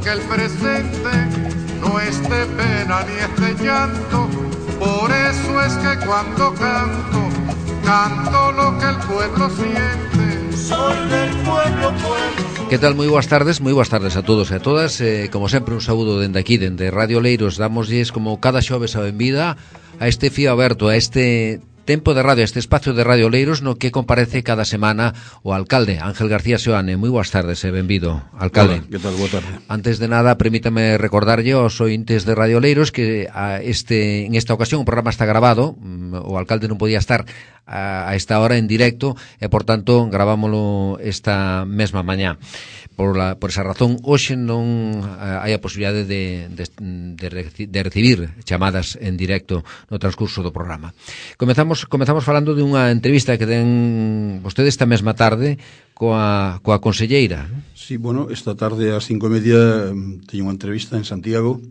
que el presente no es de pena ni es de llanto. Por eso es que cuando canto, canto lo que el pueblo siente. Soy del pueblo, pueblo. Que tal? Moi boas tardes a todos e a todas. Como sempre, un saúdo dende aquí, dende Radio Oleiros. Dámoslles como cada xoves a benvida a este fío aberto, a este tempo de radio, este espacio de Radio Oleiros no que comparece cada semana o alcalde Ángel García Seoane. Moi boas tardes e benvido, alcalde. Hola, que tal? Boa tarde. Antes de nada, permítame recordarlle aos ointes de Radio Oleiros que en esta ocasión o programa está grabado. O alcalde non podía estar a esta hora en directo e, por tanto, gravámoslo esta mesma mañá. Por esa razón, hoxe non hai a posibilidade de recibir chamadas en directo no transcurso do programa. Comezamos falando de unha entrevista que den vostedes esta mesma tarde coa conselleira. Sí, bueno, esta tarde ás 5:30 teño unha entrevista en Santiago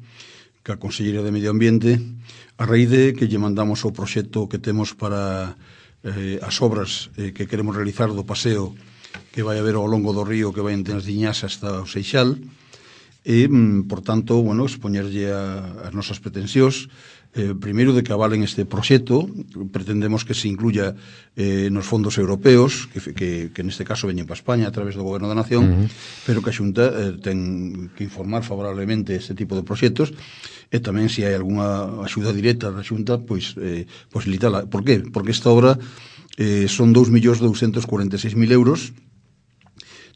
ca conselleira de Medio Ambiente a raíz de que lle mandamos o proxecto que temos para as obras que queremos realizar do paseo que vai haber ao longo do río que vai entre as Diñas hasta o Seixal e, por tanto, bueno, expoñerlle as nosas pretensións. Primeiro, de que avalen este proxecto. Pretendemos que se incluya nos fondos europeos que neste caso veñen para España a través do Goberno da Nación, pero que a Xunta ten que informar favorablemente este tipo de proxectos e tamén se hai algunha axuda directa da Xunta, pois facilitala. Por qué? Porque esta obra son 2.246.000 euros.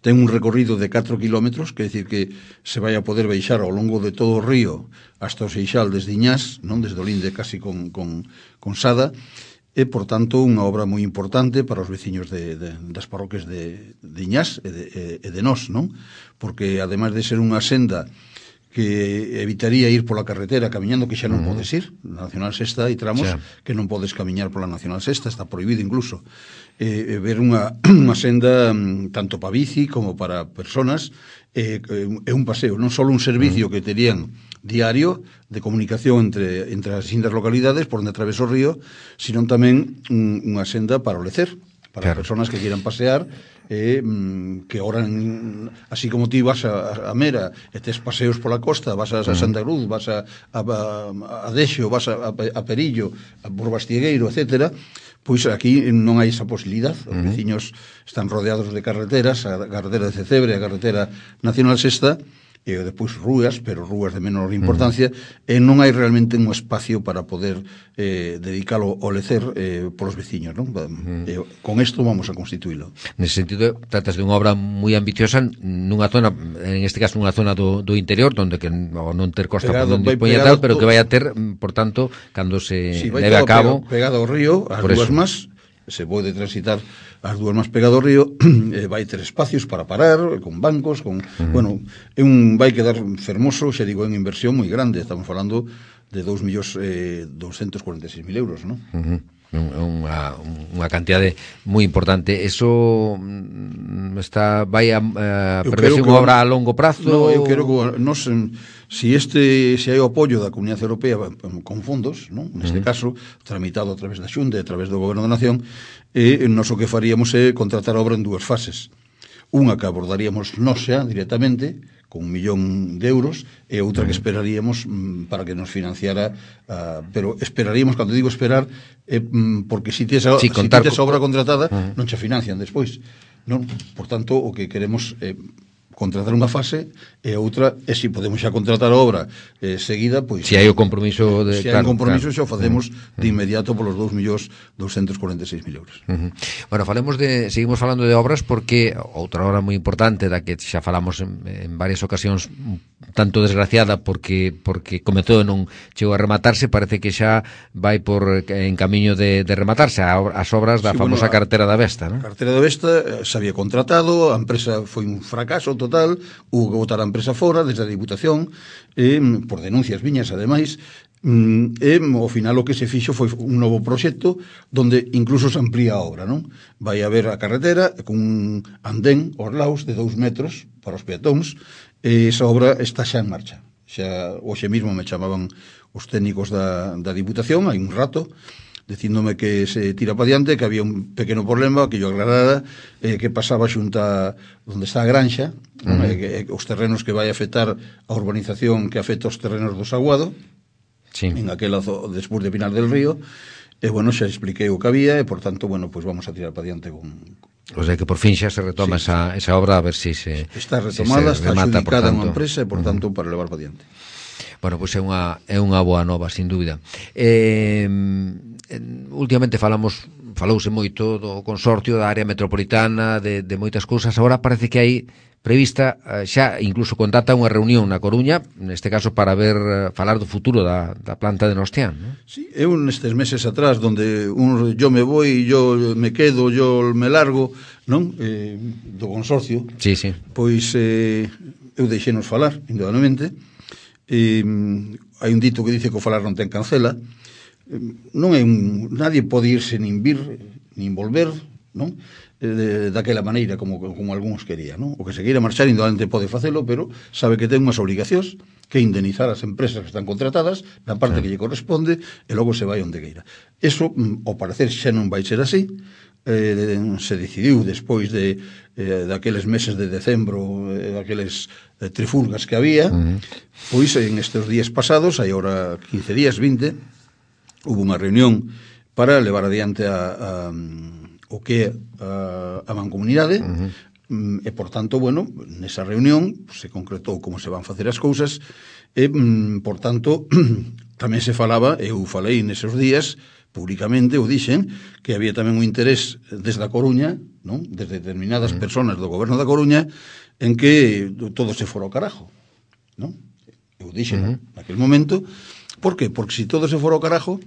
Ten un recorrido de 4 kilómetros, que é dicir que se vai a poder baixar ao longo de todo o río hasta o Seixal desde Iñás, non, desde o linde casi con Sada, e, por tanto, unha obra moi importante para os veciños das parroquias de Iñás e de nós, non? Porque, ademais de ser unha senda que evitaría ir pola carretera camiñando, que xa non podes ir. Na Nacional Sexta hai tramos que non podes camiñar pola Nacional Sexta, está prohibido incluso. Ver unha senda tanto para bici como para personas, é un paseo, non só un servicio que terían diario de comunicación entre as distintas localidades por onde atravesa o río, sino tamén unha senda para o lecer, para as personas que quieran pasear, que oran, así como ti vas a Mera e tes paseos pola costa, vas a Santa Cruz, vas a Dexo, vas a Perillo, por Bastiegueiro, etcétera, pois aquí non hai esa posibilidade. Os veciños están rodeados de carreteras, a carretera de Cecebre, a carretera Nacional Sexta, e depois rúas, pero rúas de menor importancia, e non hai realmente un espacio para poder dedicalo ao lecer polos veciños, non? Con isto vamos a constituílo. Nese sentido, tratas de unha obra moi ambiciosa nunha zona, en este caso nunha zona do interior, onde que non ter costa por onde dispoña tal, pero que vai a ter, por tanto, cando se leve a cabo pegado ao río, as dúas más, se pode transitar as dúas máis pegado ao río, vai ter espacios para parar, con bancos, bueno, vai quedar fermoso, xa digo, en inversión moi grande, estamos falando de 2.246.000 euros, non? Unha cantidade moi importante. Eso vai a preverse unha obra a longo prazo? No, eu quero que se hai o apoio da Comunidade Europea con fondos, non? Neste caso, tramitado a través da Xunta e a través do Goberno da Nación, nos o que faríamos é contratar a obra en dúas fases. Unha que abordaríamos nós xa directamente, con 1.000.000 de euros, e outra que esperaríamos para que nos financiara, pero esperaríamos, cando digo esperar, porque se tes a obra contratada, non che financian despois, non? Por tanto, o que queremos contratar unha fase e a outra, e se podemos xa contratar a obra seguida, pois se hai o compromiso se hai un compromiso xa o facemos de inmediato polos 2.246.000 euros. Bueno, seguimos falando de obras, porque outra obra moi importante da que xa falamos en varias ocasións, tanto desgraciada porque comezou e non chegou a rematarse, parece que xa vai en camiño de rematarse as obras da famosa carretera da Vesta, non? A carretera da Vesta se había contratado, a empresa foi un fracaso total, hubo que botar a empresa fora desde a Diputación, por denuncias viñas, ademais, e ao final o que se fixo foi un novo proxecto donde incluso se amplía a obra, non? Vai haber a carretera con un andén aos lados de 2 metros para os peatóns, e esa obra está xa en marcha. Xa hoxe mesmo me chamaban os técnicos da Diputación, hai un rato, dicíndome que se tira para diante, que había un pequeno problema, que yo aclarara, que pasaba xunta onde está a granxa, os terrenos que vai afectar a urbanización que afecta os terrenos do Saguado, en aquela despois de Pinar del Río, e, bueno, xa expliquei o que había, e, por tanto, bueno, pues vamos a tirar para diante con... O sea que por fin xa se retoma esa obra, a ver si se... Está retomada, está adjudicada unha empresa, e, por tanto, para levar para diante. Bueno, pois é unha boa nova, sin dúbida. Últimamente falouse moito do consorcio da área metropolitana, de moitas cousas. Agora parece que hai prevista xa incluso contata unha reunión na Coruña, neste caso para falar do futuro da planta de Nostián, ¿no? Sí, eu nestes meses atrás donde yo me voy, yo me quedo, yo me largo, non? Do consorcio. Sí. Pois eu deixenos falar, indudablemente. Hai un dito que dice que o falar non ten cancela. Non é nadie pode irse nin vir, nin volver, non? Daquela maneira como algúns querían, non? O que se queira marchar indudablemente pode facelo, pero sabe que ten unhas obrigacións, que indemnizar as empresas que están contratadas na parte que lle corresponde, e logo se vai onde queira. Eso, ao parecer, xa non vai ser así. Se decidiu despois daqueles meses de decembro, daqueles trifulgas que había, pois en estes días pasados, hai ahora 15 días, 20, hubo unha reunión para levar adiante o que é a mancomunidade, e, por tanto, bueno, nesa reunión se concretou como se van facer as cousas, e, por tanto, tamén se falaba, eu falei neses días, públicamente, o dixen, que había tamén un interés desde a Coruña, non? Desde determinadas personas do goberno da Coruña, en que todo se fora ao carajo, non? Eu dixen naquele momento. Por que? Porque se todo se fora ao carajo,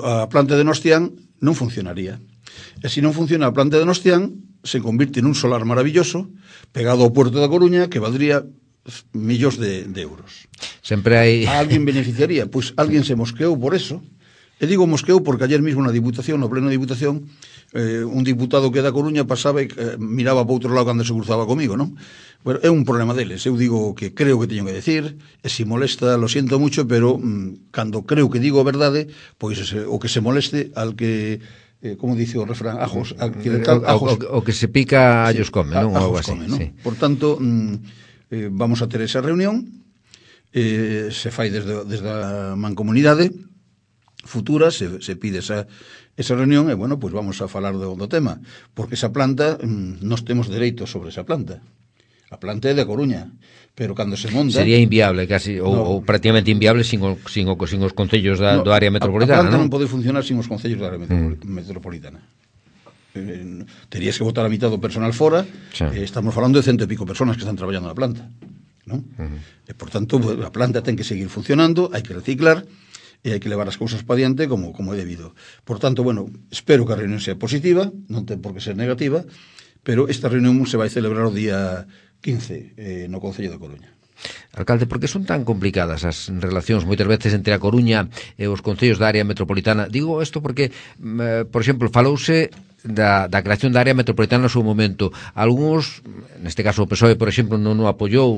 a planta de Nostián non funcionaría. E se non funciona a planta de Nostián, se convirte nun solar maravilloso, pegado ao puerto da Coruña, que valdría millóns de euros. Sempre hai... A alguén beneficiaría? Pois alguén se mosqueou por eso. E digo mosqueou porque ayer mismo na Diputación, no pleno de Diputación, un diputado que da Coruña pasaba e miraba para outro lado cando se cruzaba comigo, non? Bueno, é un problema deles. Eu digo que creo que teño que decir, e se molesta, lo siento mucho, pero cando creo que digo a verdade, pois o que se moleste al que... como dice o refrán, ajos, o que se pica allos come, non? Ajos come, non? Sí. Por tanto, vamos a ter esa reunión, se fai desde a mancomunidade futura, se pide esa reunión, e, bueno, pues vamos a falar do tema, porque esa planta, nos temos dereitos sobre esa planta. A planta é de Coruña, pero cando se monta... Sería inviable, casi, ou prácticamente inviable sin os concellos do área metropolitana, non? A planta non pode funcionar sin os concellos da área metropolitana. Terías que botar a mitad do personal fora, estamos falando de 100 e pico personas que están traballando na planta, non? E, por tanto, a planta ten que seguir funcionando, hai que reciclar, e hai que levar as cousas para diante como é debido. Por tanto, bueno, espero que a reunión sea positiva, non ten por que ser negativa, pero esta reunión se vai celebrar o día 15 no Concello da Coruña. Alcalde, por que son tan complicadas as relacións moitas veces entre a Coruña e os concellos da área metropolitana? Digo isto porque, por exemplo, falouse da creación da área metropolitana no seu momento. Algúns, neste caso o PSOE, por exemplo, non o apoiou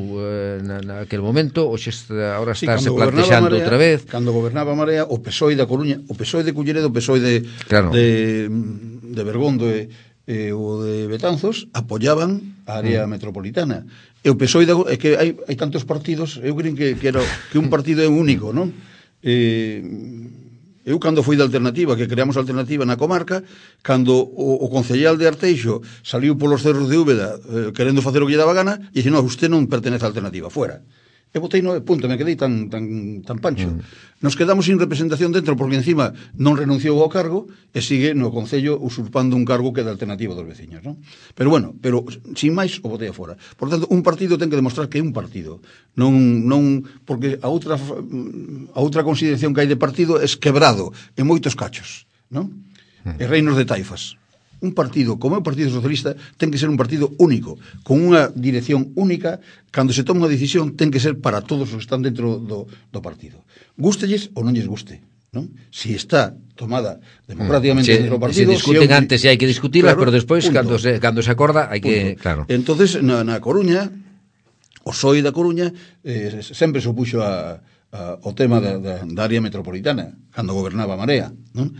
naquele momento, ou agora está se plantexando outra vez. Cando gobernaba Marea, o PSOE da Coruña, o PSOE de Culleredo, o PSOE de Bergondo e o de Betanzos apoyaban a área metropolitana. E o PSOE é que hai tantos partidos, eu creo que un partido é único, non? Eu cando fui da Alternativa, que creamos a Alternativa na comarca, cando o concellal de Arteixo saliu polos cerros de Úbeda querendo facer o que lle daba gana, e dixo, non, usted non pertenece á Alternativa, fuera. E botei 9 puntos, me quedei tan pancho. Nos quedamos sin representación dentro, porque encima non renunciou ao cargo e sigue no Concello usurpando un cargo que é da Alternativa dos veciños, non? Pero bueno, sin máis o botei afora. Por tanto, un partido ten que demostrar que é un partido. Non porque a outra consideración que hai de partido é quebrado en moitos cachos, non? E reinos de taifas. Un partido, como é o Partido Socialista, ten que ser un partido único, con unha dirección única. Cando se toma unha decisión, ten que ser para todos os que están dentro do partido. Gústelles ou non lles guste, non? Si está tomada democráticamente dentro do partido... Se discuten antes e hai que discutirlas, pero despois, cando se acorda, hai que... Claro. Entonces, na Coruña, o PSOE da Coruña sempre se opuxo ao tema da área metropolitana, cando gobernaba Marea, non?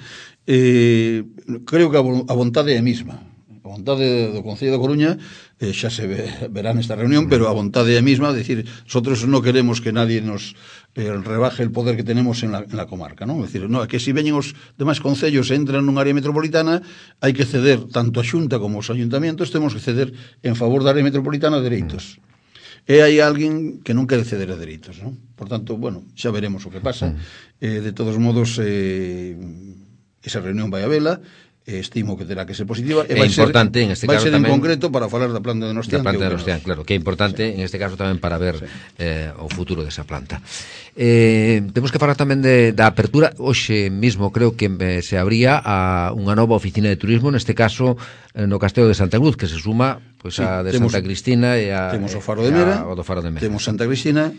creo que a vontade é a mesma. A vontade do Concello da Coruña xa se verá nesta reunión, pero a vontade é a mesma, decir, nosotros non queremos que nadie nos rebaje el poder que tenemos en la comarca, non? É dicir, no, que se veñen os demais concellos e entran nun área metropolitana, hai que ceder tanto a Xunta como os ayuntamientos, temos que ceder en favor da área metropolitana dereitos. E hai alguén que non quere ceder a dereitos, non? Por tanto, bueno, xa veremos o que pasa. De todos modos, esa reunión vai a vela, estimo que terá que ser positiva e vai importante ser, en este caso vai ser tamén, en concreto para falar da planta de Donostián, claro, que é importante en este caso tamén para ver o futuro desa planta. Temos que falar tamén da apertura. Hoxe mismo creo que se abría unha nova oficina de turismo, neste caso no Castelo de Santa Cruz, que se suma pois a de Santa Cristina e temos o Faro de Mera, temos Santa Cristina,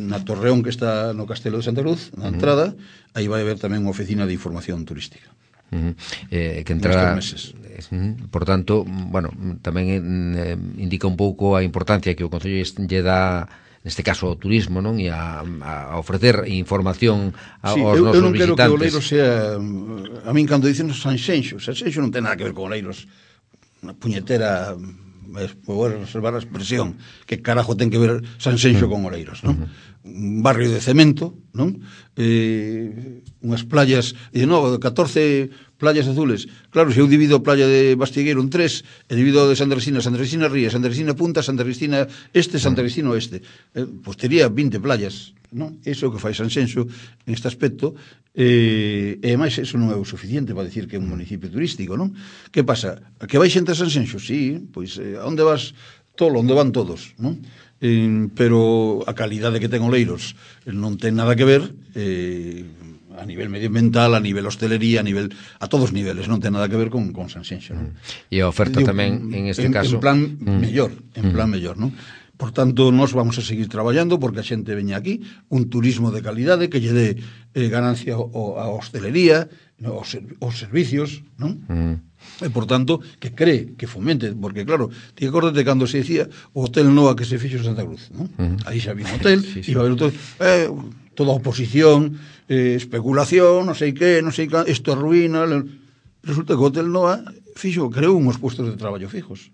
na Torreón que está no Castelo de Santa Cruz, na entrada, aí vai haber tamén unha oficina de información turística. Que entrará, por tanto, bueno, tamén indica un pouco a importancia que o Concello lle dá, neste caso, ao turismo, non? E a ofrecer información aos nosos visitantes. Eu non quero que o Oleiros sea, a min cando dicen Sanxenxo non ten nada que ver con Oleiros, unha puñetera, vou reservar a expresión, que carajo ten que ver Sanxenxo con Oleiros, non? Un barrio de cemento, non? Unhas playas, e non, 14 playas azules. Claro, se eu divido a playa de Bastigueiro en 3, e divido de Santa Cristina Ría, Santa Cristina Punta, Santa Cristina Este, Santa Cristina Oeste, pois tería 20 playas, non? Iso que fai Sanxenxo en este aspecto, e máis eso non é o suficiente para dicir que é un municipio turístico, non? Que pasa? Que vai xente a Sanxenxo? Sí, pois onde vas tolo, onde van todos, non? Pero a calidade que ten Oleiros non ten nada que ver a nivel medioambiental, a nivel hostelería, a todos os niveles, non ten nada que ver con Sanxenxo, non? E a oferta tamén en este caso en plan mellor, non? Por tanto, nós vamos a seguir traballando porque a xente veña aquí, un turismo de calidade que lle dé ganancia á hostelería, aos servicios, non? E, por tanto, que cree, que fomente, porque, claro, ti acórdate cando se decía o Hotel Noa que se fixo en Santa Cruz, non? Aí xa había un hotel, iba a haber hotel, toda a oposición, especulación, non sei que, isto arruína. Resulta que o Hotel Noa creou uns puestos de traballo fijos.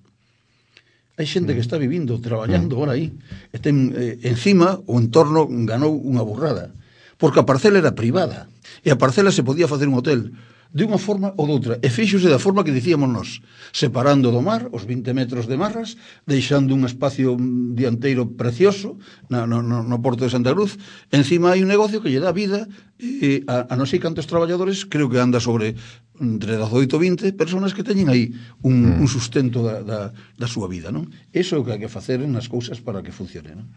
Hai xente que está vivindo, traballando ahora aí, e ten, encima, o entorno ganou unha burrada, porque a parcela era privada, e a parcela se podía facer un hotel de unha forma ou doutra, e fíxose da forma que dicíamos nós, separando do mar os 20 metros de marras, deixando un espacio dianteiro precioso no porto de Santa Cruz. Encima hai un negocio que lle dá vida a non sei cantos traballadores, creo que anda sobre entre 18 e 20 personas que teñen aí un sustento da súa vida, non? Iso é o que hai que facer nas cousas para que funcione, non?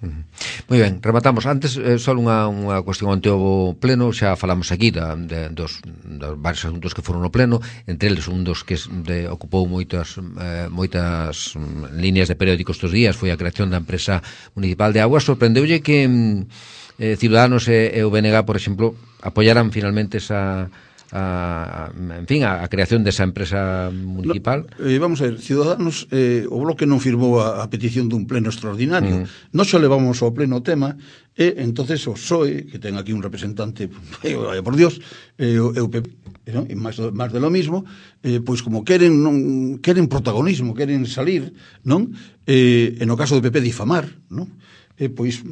Moi ben, rematamos. Antes, só unha cuestión ante o pleno, xa falamos aquí dos varios asuntos que foron no pleno, entre eles un dos que ocupou moitas líneas de periódicos estes días foi a creación da empresa municipal de augas. Sorprendeulle que Ciudadanos e o BNG, por exemplo, apoyaran finalmente a creación desa empresa municipal? Vamos a ver, Ciudadanos, o Bloque non firmou a petición dun pleno extraordinario. Nós xa levamos ao pleno o tema, e entonces o PSOE, que ten aquí un representante, por Dios, e o PP, ¿no? E máis de lo mismo, pois como queren protagonismo, queren salir, non? E no caso do PP difamar, non? Pois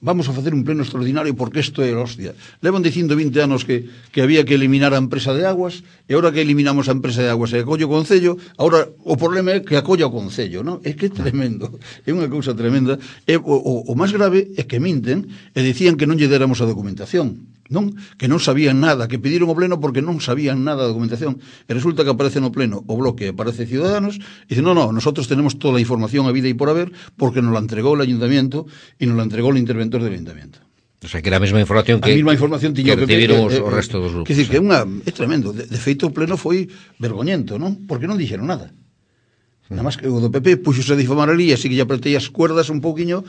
vamos a facer un pleno extraordinario porque isto é hostia. Levan dicindo 20 anos que había que eliminar a empresa de aguas, e agora que eliminamos a empresa de aguas e acolle o Concello, agora o problema é que acolla o Concello, non? É que é tremendo, é unha cousa tremenda. O máis grave é que minten e dicían que non lle déramos a documentación, non? Que non sabían nada, que pediron o pleno porque non sabían nada da documentación, e resulta que aparece no pleno o Bloque, aparece Ciudadanos, e dice, no, nosotros tenemos toda a información a vida e por haber, porque nos la entregou el Ayuntamiento e nos la entregou el interventor del Ayuntamiento. O sea, que era a mesma información que recibiron o resto dos grupos. Que decir, que é tremendo. De feito, o pleno foi vergoñento, non? Porque non dixeron nada. Nada máis que o do PP puxose a difamar ali, así que lle apretei as cuerdas un pouquiño,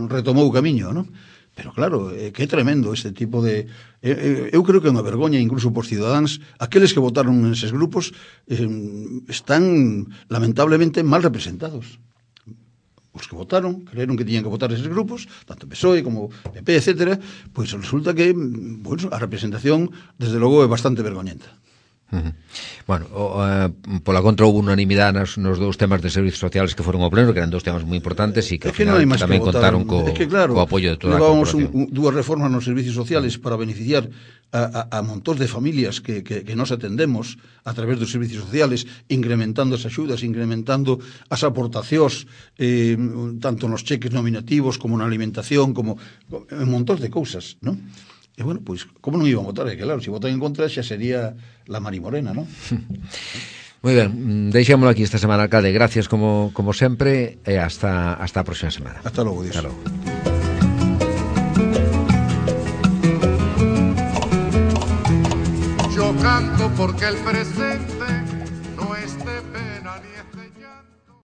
retomou o camiño, non? Pero claro, que é tremendo este tipo de... eu creo que é unha vergoña incluso por Ciudadanos. Aqueles que votaron neses grupos están lamentablemente mal representados. os que votaron, creeron que tiñan que votar eses grupos, tanto PSOE como PP, etcétera, pois resulta que, bueno, a representación, desde logo, é bastante vergoñenta. Bueno, pola contra houve unanimidade nos dous temas de servizos sociales que foron ao pleno, que eran dous temas moi importantes e que ao final tamén contaron co apoio de toda a corporación. Dúas reformas nos servicios sociales para beneficiar a montón de familias que nos atendemos a través dos servicios sociales, incrementando as axudas, incrementando as aportacións, tanto nos cheques nominativos como na alimentación, como en montón de cousas, non? E, bueno, pois, como non iban a votar? É que, claro, se votan en contra xa sería la Mari Morena, non? Moi ben, deixámoslo aquí esta semana, alcalde. Gracias como sempre e hasta a próxima semana. Hasta logo, Dios. Hasta logo. Yo canto porque el presente